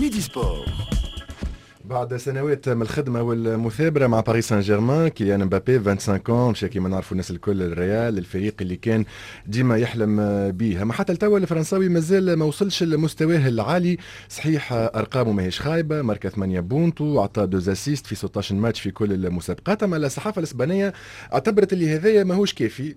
Midi Sport. بعد سنوات من الخدمة والمثابرة مع باريس سان جيرمان، كيليان مبابي 25 مشى كيما نعرفوا الناس الكل الريال، الفريق اللي كان ديما يحلم به. اما حتى لتوا الفرنساوي مازال ما وصلش لمستواه العالي. صحيح ارقامه ماهيش خايبه، ماركا 8 بونتو وعطى 2 assists في 16 ماتش في كل المسابقات، اما الصحافة الاسبانية اعتبرت اللي هذايا ماهوش كافي.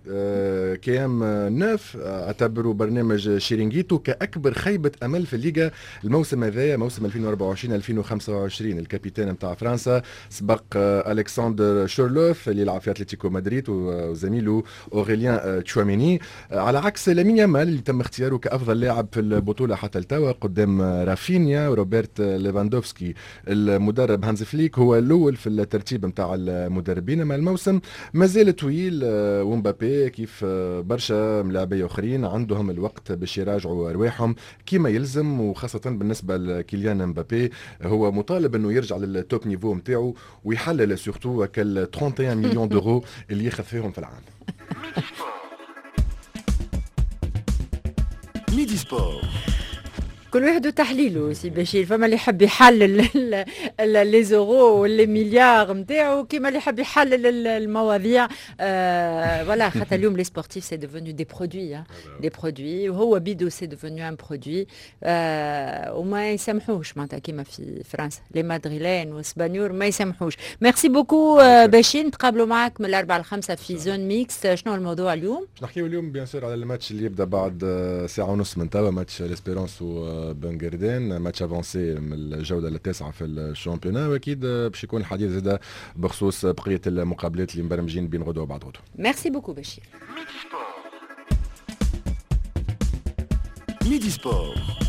كيام نوف اعتبروا برنامج شيرينغيتو كاكبر خيبه امل في الليغا الموسم هذايا، موسم 2024 2025. ال capitaine نتاع فرنسا سبق الكسندر شورلوف اللي يلعب في اتلتيكو مدريد وزميله اوريليان تشواميني، على عكس لامين يامال اللي تم اختياره كافضل لاعب في البطولة حتى التوا قدام رافينيا وروبرت ليفاندوفسكي. المدرب هانز فليك هو الاول في الترتيب نتاع المدربين، اما الموسم مازال طويل ومبابي كيف برشا ملاعبيه اخرين عندهم الوقت باش يراجعوا ارواحهم كما يلزم، وخاصة بالنسبة لكيليان مبابي هو مطالب انه يرجع لل top niveau نتاعو ويحلل surtout كال 31 millions d'euros اللي ياخذ فيهم في العام. Midi Sport. كل واحد وتحليله سي بشير، فما اللي يحب يحلل les euros و les milliards نتاعو، كيما اللي يحب يحلل المواضيع. voilà، خاطر اليوم les sportifs c'est devenu des produits، des produits، وهو بيدو c'est devenu un produit، وما يسامحوش معناتها كيما في فرنسا les Madrilènes والسبانيور ما يسامحوش. merci beaucoup بشير، نتقابلوا معاك من الأربعة للخمسة في zone mixte. شنو الموضوع اليوم؟ باش نحكيو اليوم bien sûr على الماتش اللي يبدا بعد ساعة ونص من توا، ماتش l'Espérance بنجردين، match avancé من الجولة التاسعة في ال championnat، واكيد باش يكون الحديث زاد بخصوص بقية المقابلات اللي مبرمجين بين غدوه وبعد غدوه. merci beaucoup بشير. Midi Sport.